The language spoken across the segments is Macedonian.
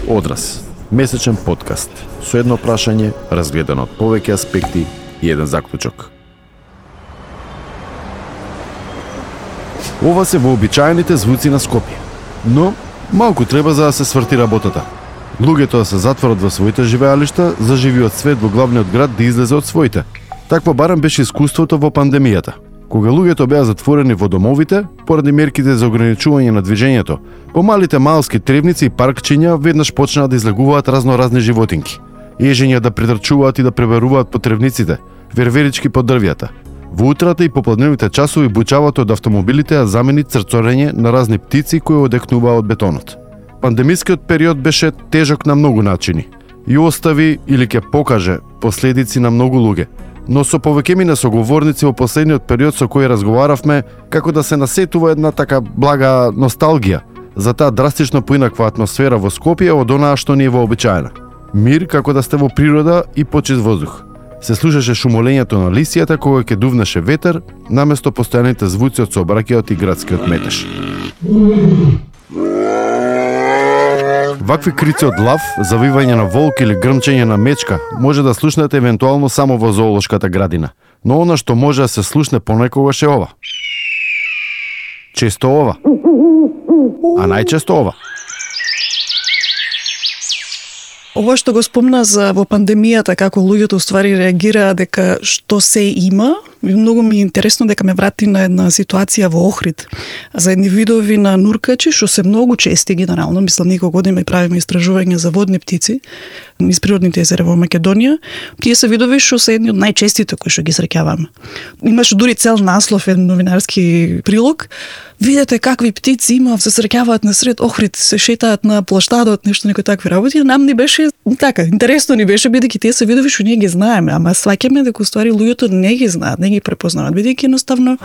Одраз, месечен подкаст со едно прашање разгледано од повеќе аспекти и еден заклучок. Ова се вообичаените звуци на Скопје, но малку треба за да се сврти работата. Луѓето да се затворат во своите живеалишта, за живиот свет во главниот град да излезе од своите. Такво барем беше искуството во пандемијата. Кога луѓето беа затворени во домовите, поради мерките за ограничување на движењето, по малите малски тревници и паркчиња веднаш почнаа да излегуваат разноразни животинки. Ежења да притрчуваат и да пребаруваат по тревниците, верверички по дрвјата. Во утрата и попладневните часови бучавото од автомобилите ја замени црцорење на разни птици кои одекнуваа од бетонот. Пандемискиот период беше тежок на многу начини и остави или ќе покаже последици на многу луѓе. Но со повеќемина соговорници во последниот период со кои разговаравме како да се насетува една така блага носталгија за таа драстично поинаква атмосфера во Скопје од онаа што ни е вообичаена. Мир како да сте во природа и почист воздух. Се слушаше шумолењето на лисијата кога ќе дувнеше ветер, наместо постојаните звуци од сообраќајот и градскиот метеж. Вакви крици од лав, завивање на волк или грмчење на мечка може да слушнете евентуално само во зоолошката градина. Но она што може да се слушне понекогаш е ова. Често ова. А најчесто ова. Ова што го спомна за во пандемијата, како луѓето уствари реагираа дека што се има, многу ми е интересно дека ме врати на една ситуација во Охрид. За едни видови на нуркачи, што се многу чести генерално, мислам неколку години правиме истражување за водни птици низ природните езера во Македонија. Тие се видови што се едни од најчестите кои што ги среќаваме. Имаше дури цел наслов, еден новинарски прилог. Видете какви птици има, се среќаваат на сред Охрид, се шетаат на плаштадот, нешто некои такви работи. Нам ни беше така, интересно ни беше бидејќи тие се видови што ние ги знаеме, ама сваќаме дека уствари луѓето не ги знаат, не ги препознаваат, бидејќи едноставно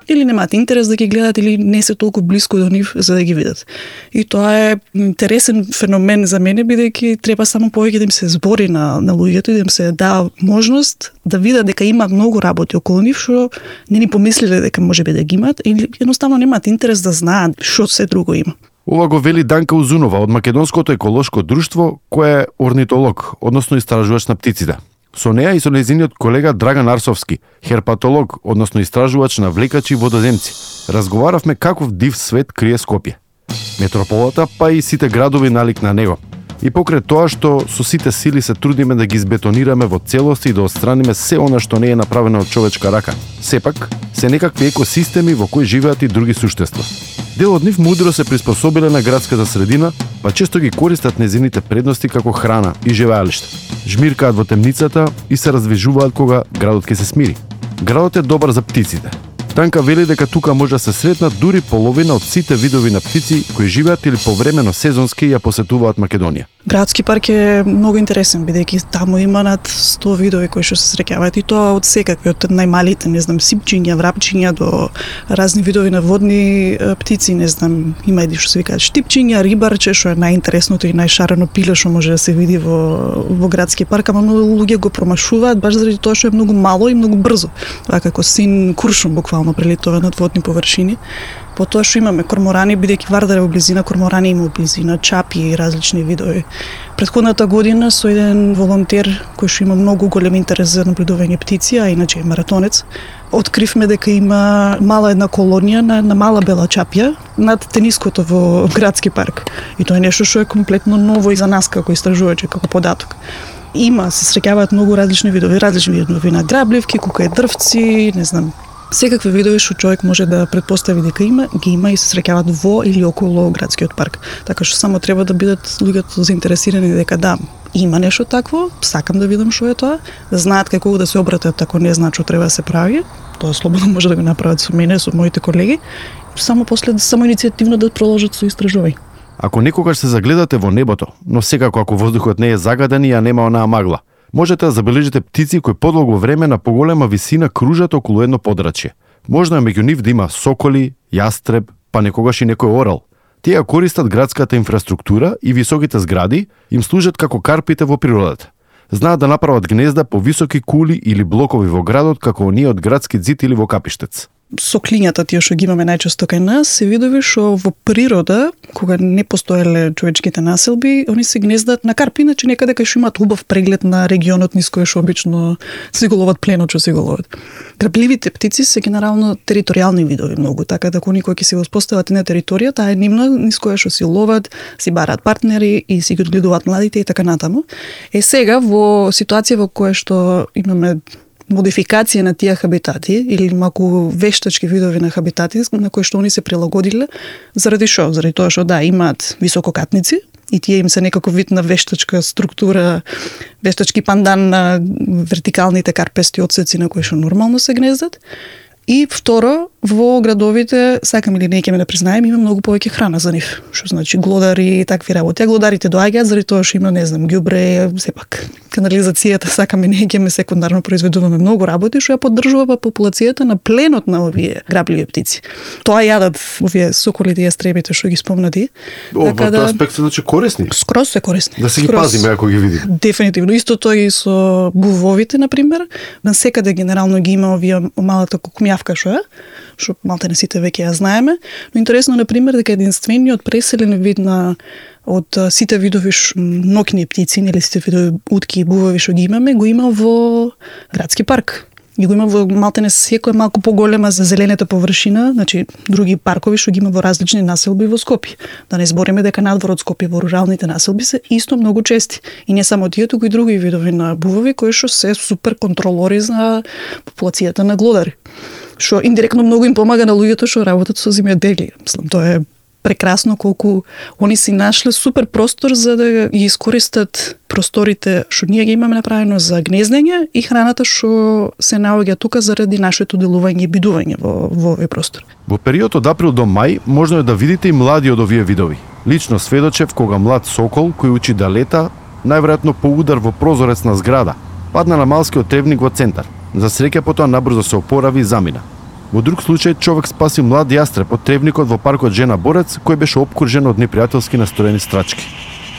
или немаат интерес да ги гледат или не се толку блиску до нив за да ги видат. И тоа е интересен феномен за мене, бидејќи треба само повеќе да им се збори на луѓето и да им се даа можност да видат дека има многу работи околу нив што не ни помислиле дека можеби да ги имаат или едноставно немаат интерес да знаат што се друго има. Ова го вели Данка Узунова од Македонското еколошко друштво, кој е орнитолог, односно истражувач на птиците. Со неа и со нејзиниот колега Драган Арсовски, херпатолог, односно истражувач на влекачи и водоземци. Разговаравме каков див свет крие Скопје. Метрополата, па и сите градови налик на него. И покрај тоа што со сите сили се трудиме да ги избетонираме во целост и да отстраниме се она што не е направено од човечка рака. Сепак, се некакви екосистеми во кои живеат и други суштества. Дел од нив мудро се приспособиле на градската средина, па често ги користат незините предности како храна и живеалиште. Жмиркаат во темницата и се раздвижуваат кога градот ќе се смири. Градот е добар за птиците. Танка вели дека тука може да се сретнат дури половина од сите видови на птици кои живеат или повремено сезонски ја посетуваат Македонија. Градски парк е многу интересен, бидејќи таму има над 100 видови кои што се среќаваат и тоа од секакви, од најмалите, не знам, сипчиња, врапчиња до разни видови на водни птици, не знам, има и што се викаат штипчиња, рибарче, што е најинтересното и најшарено пиле што може да се види во градски парк, ама многу луѓе го промашуваат баш заради тоа што е многу мало и многу брзо. Тоа како син куршум буквално прелетува над водни површини. По тоа што имаме корморани, бидејќи Вардар е во близина, корморани има во близина, чапи и различни видови. Претходната година со еден волонтер кој што има многу голем интерес за наблюдување птици, а иначе е маратонец, откривме дека има мала една колонија на мала бела чапја над тениското во градски парк. И тоа е нешто што е комплетно ново и за нас како истражувачи, како податок. Има, се среќаваат многу различни видови на грабливки, кукаедрвци, не знам, секакви видови што човек може да претпостави дека ги има и се среќаваат во или околу градскиот парк. Така што само треба да бидат луѓето заинтересирани дека да, има нешто такво, сакам да видам што е тоа, да знаат како да се обратат ако не знаат што треба да се прави. Тоа слободно може да го направат со мене, со моите колеги, само после само иницијативно да продолжат со истражување. Ако некогаш се загледате во небото, но секако ако воздухот не е загаден и ја нема онаа магла, можете да забележите птици кои подолго време на поголема висина кружат околу едно подрачје. Можно е меѓу нив да има соколи, јастреб, па некогаш и некој орел. Тие користат градската инфраструктура и високите згради им служат како карпите во природата. Знаат да направат гнезда по високи кули или блокови во градот како оние од градски зид или во Капиштец. со клињата тие што ги имаме најчесто кај нас, се видови што во природа, кога не постоеле човечките населби, они се гнездат на карпи, иначе некаде кај што имаат убав преглед на регионот низ кој што обично си го ловат пленот што си го ловат. Грабливите птици се генерално територијални видови многу, така да кој ќе се воспостават на територија, таа е нивна низ која што си ловат, си бараат партнери и си ги одгледуваат младите и така натаму. Сега во ситуација во која што имаме модификација на тие хабитати или малку вештачки видови на хабитати на кои што они се прилагодиле, заради што? Заради тоа што имаат висококатници и тие им се некако вид на вештачка структура, вештачки пандан на вертикалните карпести отсеци на кои што нормално се гнездат. И второ, во градовите, сакам или не ќе ме да признаем, има многу повеќе храна за нив. Што значи глодари и такви работи. А глодарите доаѓаат заради тоа што има, не знам, ѓубре, сепак канализацијата, сакам и не ќе ме секундарно произведуваме многу работи што ја поддржува популацијата на пленот на овие грабливи птици. Тоа јадат овие соколите и јастребите што ги спомнати. Во тој аспект се значи корисни. Скроз се корисни. Да се ги пазиме ако ги видиме. Дефинитивно. Истото и со бувовите, например. Насекаде генерално ги има овие малата кукумјавка што е, што малте не сите веќе ја знаеме, но интересно например дека единствениот преселен вид од сите видови ноќни птици, или сите видови утки и бувови што ги имаме, го има во градски парк. И го има во малтене секоја малку поголема за зелената површина, значи други паркови што ги има во различни населби во Скопје. Да не збориме дека надвор од Скопје во руралните населби се исто многу чести. И не само тие, туку и други видови на бувови кои што се супер контролори за популацијата на глодари. Што индиректно многу им помага на луѓето што работат со земјоделие. Мислам, тоа е прекрасно колку они си нашле супер простор за да ги искористат просторите што ние ги имаме направено за гнездење и храната што се наоѓа тука заради нашето делување и бидување во овој простор. Во период од април до мај можно е да видите и млади од овие видови. Лично сведочев кога млад сокол кој учи да лета, најверојатно по удар во прозорец на зграда, падна на малскиот тревник во центар. За среќа потоа набрзо се опорави и замина. Во друг случај човек спаси млад јастреб од тревникот во паркот Жена Борец, кој беше опкружен од непријателски настроени страчки.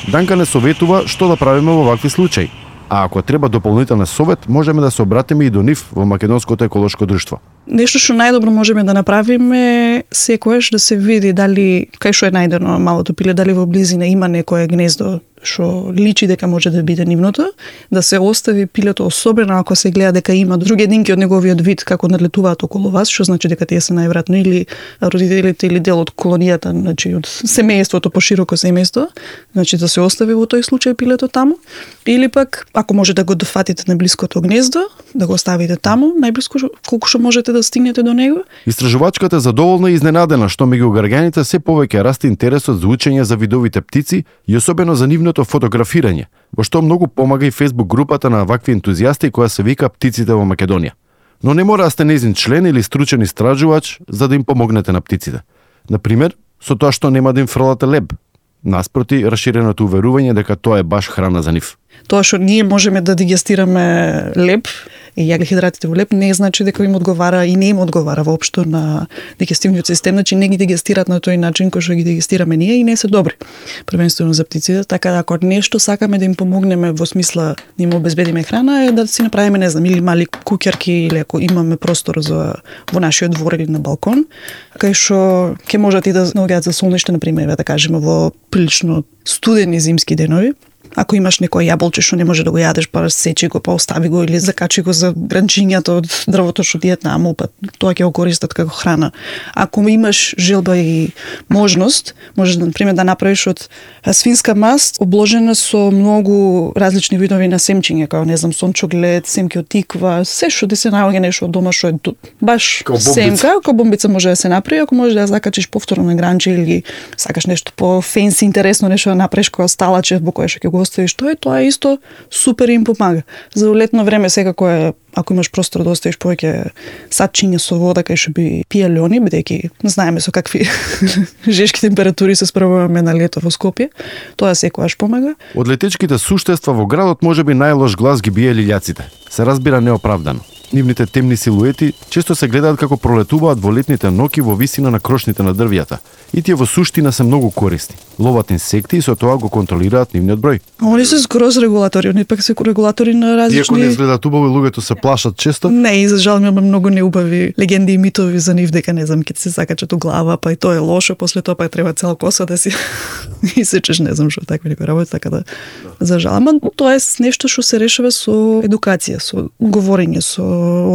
Данка не советува што да правиме во вакви случаи, а ако треба дополнителен совет, можеме да се обратиме и до нив во Македонското еколошко друштво. Нешто што најдобро можеме да направиме секојаш да се види дали кај што е најдено малото пиле, дали во близина има некое гнездо што личи дека може да биде нивното, да се остави пилето, особено ако се гледа дека има други единки од неговиот вид како надлетуваат околу вас, што значи дека тие се најверојатно или родителите или дел од колонијата, значи од семејството, пошироко семејство, значи да се остави во тој случај пилето таму, или пак ако може да го дофатите на блиското гнездо, да го оставите таму, најблиско колку што можете да стигнете до него. Истражувачката е задоволна и изненадена што меѓу граѓаните се повеќе расте интересот за учење за видовите птици и особено за нивното фотографирање, во што многу помага и Facebook групата на вакви ентузијасти која се вика Птиците во Македонија. Но не мора да сте нејзин член или стручен истражувач за да им помогнете на птиците. Например, со тоа што нема да им фрлате леб, наспроти расширеното уверување дека тоа е баш храна за нив. Тоа што ние можеме да дигестираме леб и јаглехидратите во леб не значи дека им одговара и не им одговара воопшто на дигестивниот систем, значи не ги дигестираат на тој начин кој што ги дигестираме ние и не се добри. Првенствено за птиците, така да ако нешто сакаме да им помогнеме во смисла да им обезбедиме храна е да си направиме, не знам, или мали куќарки или ако имаме простор за во нашиот двор или на балкон, кај што ќе можат и да наоѓаат за солниште, на пример, да кажеме во прилично студени зимски денови. Ако имаш некој јаболче што не може да го јадеш, па сечи го, па остави го или закачи го за гранчињата од дрвото што ти е таму, па тоа ќе го користат како храна. Ако имаш желба и можност, можеш да, например, да направиш од свинска маст обложена со многу различни видови на семчиња, како не знам, сончоглед, семки од тиква, се што ти се наоѓа нешто од дома што е баш семка, како бомбица може да се направи, ако можеш да ја закачиш повторно на гранче или сакаш нешто по фенси, интересно нешто да направиш како сталаче во кое што ќе го оставиш тоа е исто супер им помага. За летно време секако е, ако имаш простор да оставиш повеќе садчиња со вода кај што би пиеле они, бидејќи знаеме со какви жешки температури се справуваме на лето во Скопје, тоа секогаш помага. Од летечките суштества во градот можеби најлош глас ги бие лилјаците. Се разбира неоправдано. Нивните темни силуети често се гледаат како пролетуваат во летните ноќи во висина на крошните на дрвјата. И тие во суштина се многу корисни. Ловат инсекти и со тоа го контролираат нивниот број. Они се скроз регулатори, они пак се регулатори на различни. Иако не изгледаат убаво, луѓето се плашат често. Не, и за жал имаме многу неубави легенди и митови за нив дека не знам ќе се закачат у глава, па и тоа е лошо, после тоа па треба цела коса да си исечеш, не знам што такви некои работи, така да за жал. Ама тоа е нешто што се решава со едукација, со говорење, со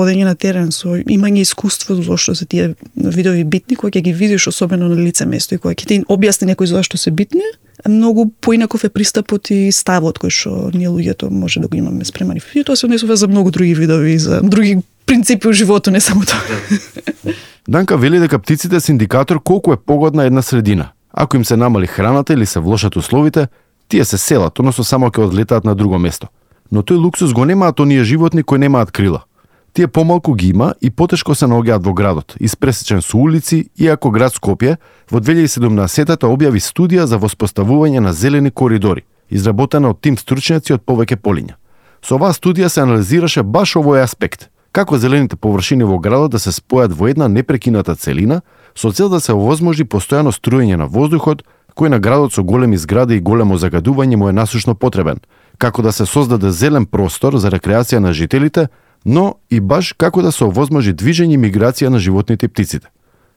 одење на терен, со имање искуство зошто се тие видови битни, кога ќе ги видиш особено на лице место и кога ќе ти објасни некој зошто се битни, многу поинаков е пристапот и ставот кој што ние луѓето може да го имаме спремани. И тоа се однесува за многу други видови, за други принципи у животот, не само тоа. Данка вели дека птиците се индикатор колку е погодна една средина. Ако им се намали храната или се влошат условите, тие се селат, односно само ќе одлетаат на друго место. Но тој луксус го немаат оние животни кои немаат крила. Тие помалку ги има и потешко се наоѓаат во градот, испресечен со улици, иако град Скопје во 2017-та објави студија за воспоставување на зелени коридори, изработена од тим стручњаци од повеќе полиња. Со оваа студија се анализираше баш овој аспект, како зелените површини во градот да се спојат во една непрекината целина, со цел да се овозможи постојано струење на воздухот, кој на градот со големи згради и големо загадување му е насушно потребен, како да се создаде зелен простор за рекреација на жителите, но и баш како да се овозможи движење и миграција на животните и птиците.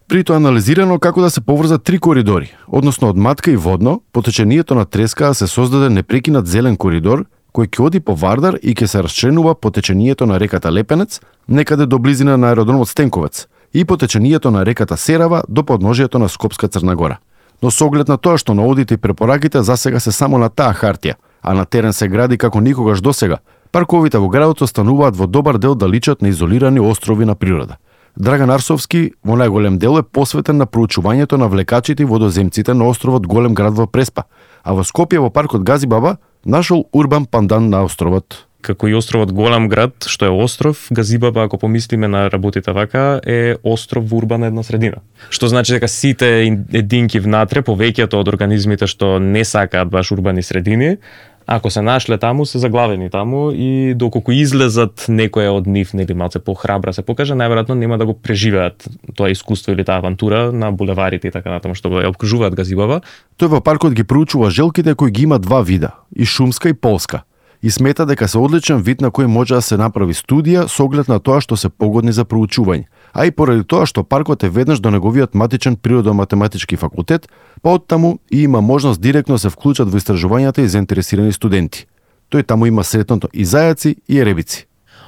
При тоа анализирано како да се поврзат 3 коридори, односно од матка и водно, по течението на треска да се создаде непрекинат зелен коридор, кој ќе оди по Вардар и ќе се расчленува по течението на реката Лепенец, некаде до близина на аеродромот Стенковец, и по течението на реката Серава до подножието на Скопска Црна Гора. Но со оглед на тоа што наодите и препораките засега се само на таа хартија, а на терен се гради како никогаш досега, парковите во градот остануваат во добар дел да личат на изолирани острови на природа. Драган Арсовски во најголем дел е посветен на проучувањето на влекачите и водоземците на островот Голем град во Преспа, а во Скопје во паркот Газибаба нашол урбан пандан на островот. Како и островот Голем град, што е остров, Газибаба, ако помислиме на работите вака, е остров во урбана една средина. Што значи дека сите единки внатре, повеќето од организмите што не сакаат баш урбани средини, ако се нашле таму, се заглавени таму и доколку излезат некоја од нив, нели малце похрабра се покаже, најверојатно нема да го преживеат тоа искуство или таа авантура на булеварите и така натаму што го обкружуваат Газибаба. Тој во паркот ги проучува желките кои ги има 2 вида, и шумска и полска, и смета дека се одличен вид на кој може да се направи студија со оглед на тоа што се погодни за проучување, а и поради тоа што паркот е веднаш до неговиот матичен природо-математички факултет, па оттаму и има можност директно се вклучат во истражувањата и заинтересирани студенти. Тој таму има сретното и зајаци и еребици.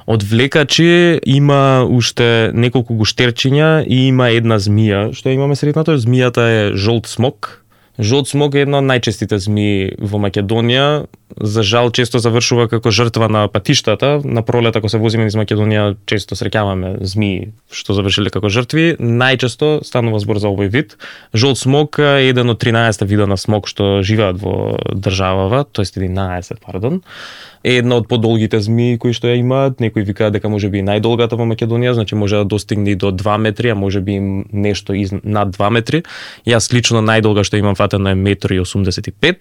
Од влекачи има уште неколку гуштерчиња и има една змија, што имаме сретнато. Змијата е жолт смок. Жолт смок е една од најчестите змии во Македонија. За жал често завршува како жртва на патиштата. На пролет ако се возиме низ Македонија често среќаваме змии што завршиле како жртви. Најчесто станува збор за овој вид. Жолт смок е еден од 13 вида на смок што живеат во државава, тоест 11, пардон. Е една од подолгите змии кои што ја имаат. Некои викаат дека можеби најдолгата во Македонија, значи може да достигне и до 2 метри, а можеби нешто над 2 метри. Јас лично најдолга што имам фатено е 1,85 м.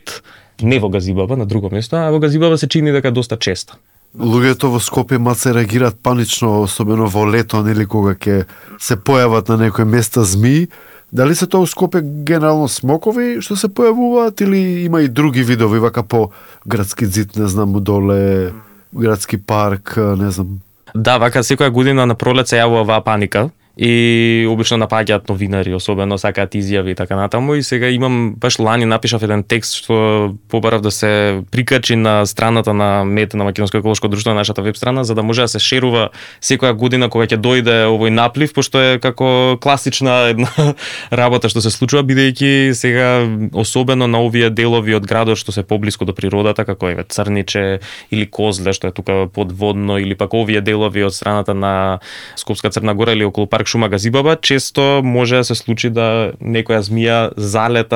Не во Газибаба, на друго место, а во Газибаба се чини дека доста често. Луѓето во Скопје маце реагираат панично, особено во лето, нели кога ќе се појават на некои места змии. Дали се тоа у Скопје генерално смокови што се појавуваат или има и други видови, вака по градски зид, не знам, доле, градски парк, не знам? Да, вака секоја година на пролет се јавува оваа паника и обично напаѓаат новинари, особено сакаат изјави и така натаму. И сега имам, баш лани напишав еден текст што побарав да се прикачи на страната на МЕТ, на Македонско еколошко друштво, на нашата веб страна, за да може да се шерува секоја година кога ќе дојде овој наплив, пошто е како класична една работа што се случува, бидејќи сега особено на овие делови од градот што се поблиску до природата, како е Црниче или Козле што е тука подводно, или пак овие делови од страната на Скопска Црна Гора или околу парк Шума Газибаба, често може да се случи да некоја змија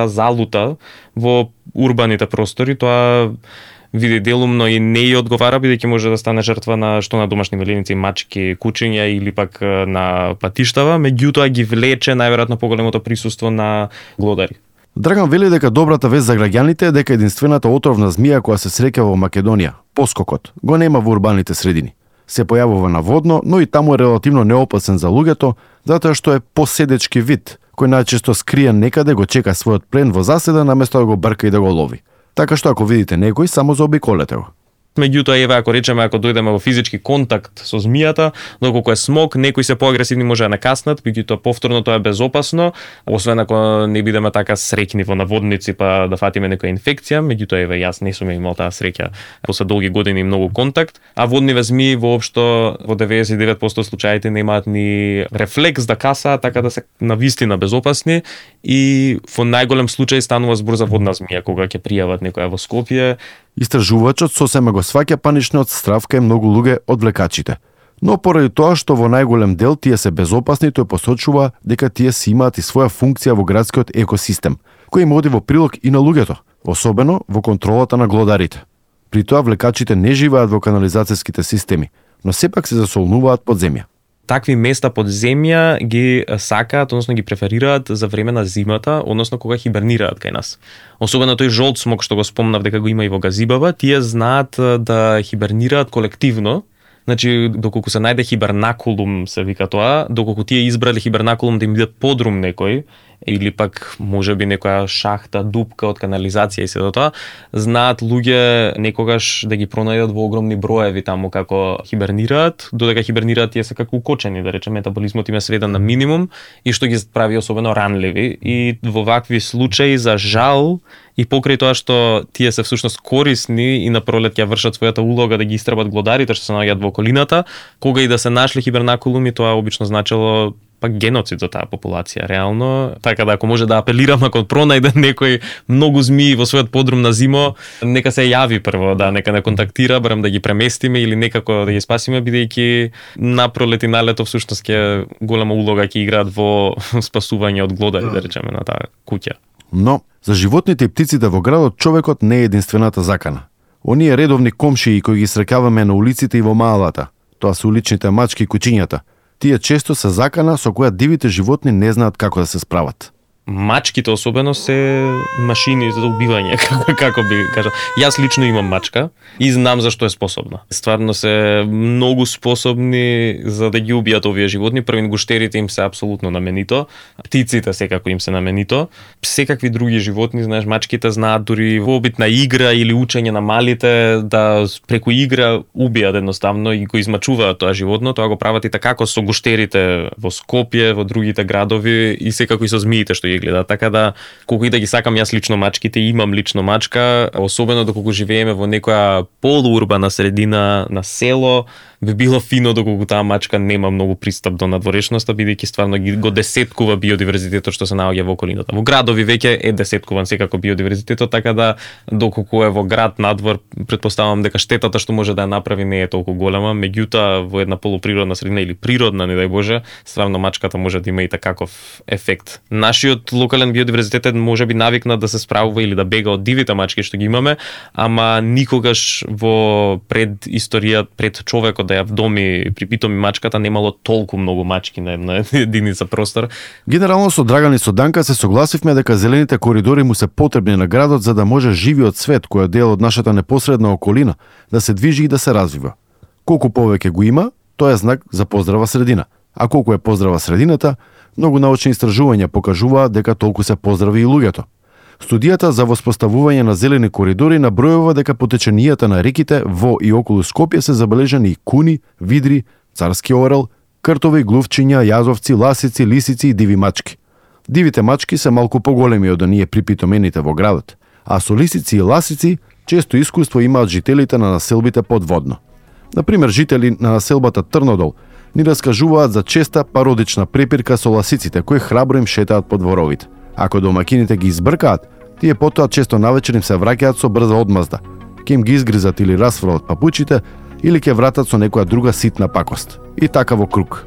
залута во урбаните простори. Тоа види делумно и не ја одговара, бидејќи може да стане жртва на што на домашни меленици, мачки, кучиња или пак на патиштава, меѓутоа ги влече најверојатно поголемото присуство на глодари. Драган вели дека добрата вест за граѓаните е дека единствената отровна змија која се среќа во Македонија, поскокот, го нема во урбаните средини. Се појавува на водно, но и таму е релативно неопасен за луѓето, затоа што е поседечки вид, кој најчесто скриен некаде го чека својот плен во заседа наместо да го брка и да го лови. Така што ако видите некој, само заобиколете го. Меѓутоа, еве, ако речеме, ако дојдеме во физички контакт со змијата, доколку е смок, некои се поагресивни може да накаснат, меѓутоа повторно тоа е безопасно, освен ако не бидеме така среќни во наводници па да фатиме некоја инфекција, меѓутоа, еве, јас не сум имал таа среќа после долги години и многу контакт, а водниве змии воопшто во 99% случаите немаат ни рефлекс да касаат, така да се навистина безопасни и во најголем случај станува збор за водна змија кога ќе пријават некоја во Скопје. Истражувачот сосема го сваќа паничниот страв кај многу луѓе од влекачите. Но поради тоа што во најголем дел тие се безопасни, тој посочува дека тие си имаат и своја функција во градскиот екосистем, кој им оди во прилог и на луѓето, особено во контролата на глодарите. При тоа влекачите не живеат во канализацијските системи, но сепак се засолнуваат под земја. Такви места под земја ги сакаат, односно ги преферираат за време на зимата, односно кога хибернираат кај нас. Особено тој жолт смок што го спомнав дека го има и во Газибаба, тие знаат да хибернираат колективно. Значи, доколку се најде хибернакулум, се вика тоа, доколку тие избрали хибернакулум да им биде подрум некој, или пак можеби некоја шахта, дупка од канализација и се до тоа, знаат луѓе некогаш да ги пронајдат во огромни броеви таму како хибернираат, додека хибернираат тие се како укочени, да речеме, метаболизмот им е сведен на минимум и што ги прави особено ранливи. И во вакви случаи, за жал, и покрај тоа што тие се всушност корисни и на пролет ќе вршат својата улога да ги истребат глодарите што се наоѓаат во околината, кога и да се нашли хибернакулуми, тоа обично значело пак геноцид за таа популација, реално. Така да ако може да апелирам, ако пронајде некој многу змии во својот подрум на зимо, нека се јави прво, да, нека не контактира, барем да ги преместиме или некако да ги спасиме, бидејќи на пролет и на лето всушност ќе голема улога ќе играат во спасување од глодари, да речеме, на таа куќа. Но, за животните и птиците во градот, човекот не е единствената закана. Оние редовни комшии кои ги срекаваме на улиците и во маалата, тоа се уличните мачки и кучињата, тие често се закана со која дивите животни не знаат како да се справат. Мачките особено се машини за убивање, како би кажал. Јас лично имам мачка и знам за што е способна. Стварно се многу способни за да ги убијат овие животни. Првин гуштерите им се апсолутно наменито, птиците секако им се наменито. Секакви други животни, знаеш, мачките знаат дури во обитна игра или учење на малите да преку игра убијат едноставно и го измачуваат тоа животно. Тоа го прават и така како со гуштерите во Скопје, во другите градови и секако и со змиите што гледа, така да колку и да ги сакам јас лично мачките, имам лично мачка, особено доколку живееме во некоја полуурбана средина на село, би било фино доколку таа мачка нема многу пристап до надворешноста, бидејќи стварно го десеткува биодиверзитетот што се наоѓа во околината. Во градови веќе е десеткуван секако биодиверзитетот, така да доколку е во град надвор, претпоставам дека штетата што може да ја направи не е толку голема, меѓутоа во една полуприродна средина или природна, не дај Боже, стварно мачката може да има и такаков ефект. Нашиот локален биодиверзитет е можеби навикнат да се справува или да бега од дивите мачки што ги имаме, ама никогаш во пред историјата, пред човекот да ја вдоми при питоми мачката немало толку многу мачки на една единица простор. Генерално со Драган и со Данка се согласивме дека зелените коридори му се потребни на градот за да може живиот свет кој е дел од нашата непосредна околина да се движи и да се развива. Колку повеќе го има, тоа е знак за поздрава средина. А колку е поздрава средината, многу научни истражувања покажуваат дека толку се поздрави и луѓето. Студијата за воспоставување на зелени коридори набројува дека по теченијата на реките во и околу Скопје се забележани и куни, видри, царски орел, кртови, глувчиња, јазовци, ласици, лисици и диви мачки. Дивите мачки се малку поголеми од оние припитомените во градот, а со лисици и ласици често искуство имаат жителите на населбите подводно. Например, жители на населбата Трнодол ни раскажуваат за честа пародична препирка со ласиците кои храбро им шетаат по дворовите. Ако домакините ги избркаат, тие потоа често навечер им се враќаат со брза одмазда. Ке им ги изгризат или расфрлат папучите, или ке вратат со некоја друга ситна пакост. И така во круг.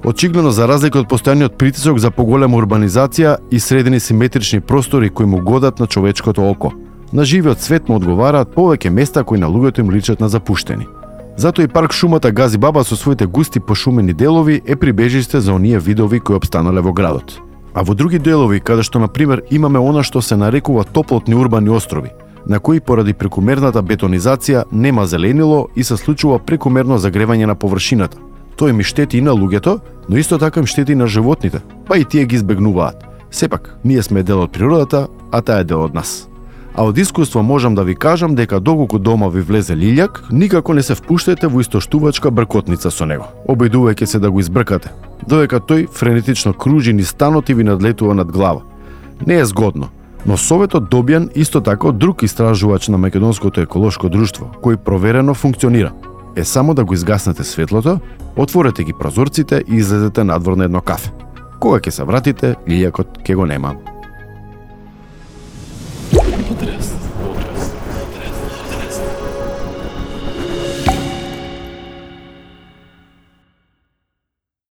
Очигледно, за разлика од постојаниот притисок за поголема урбанизација и средени симетрични простори кои му годат на човечкото око, на живиот свет му одговараат повеќе места кои на луѓето им личат на запуштени. Затоа и парк шумата Газибаба со своите густи пошумени делови е прибежиште за оние видови кои опстанале во градот. А во други делови, каде што, например, имаме она што се нарекува топлотни урбани острови, на кои поради прекумерната бетонизација нема зеленило и се случува прекумерно загревање на површината. Тој им штети и на луѓето, но исто така им штети и на животните, па и тие ги избегнуваат. Сепак, ние сме дел од природата, а таа е дел од нас. А од искуство можам да ви кажам дека доколку дома ви влезе лилјак, никако не се впуштете во истоштувачка бркотница со него, обидувајќи се да го избркате, додека тој френетично кружи низ станот и ви надлетува над глава. Не е згодно, но советот добиен исто така од друг истражувач на Македонското еколошко друштво, кој проверено функционира, е само да го изгаснете светлото, отворете ги прозорците и излезете надвор на едно кафе. Кога ќе се вратите, лилјакот ќе го нема. Потрес.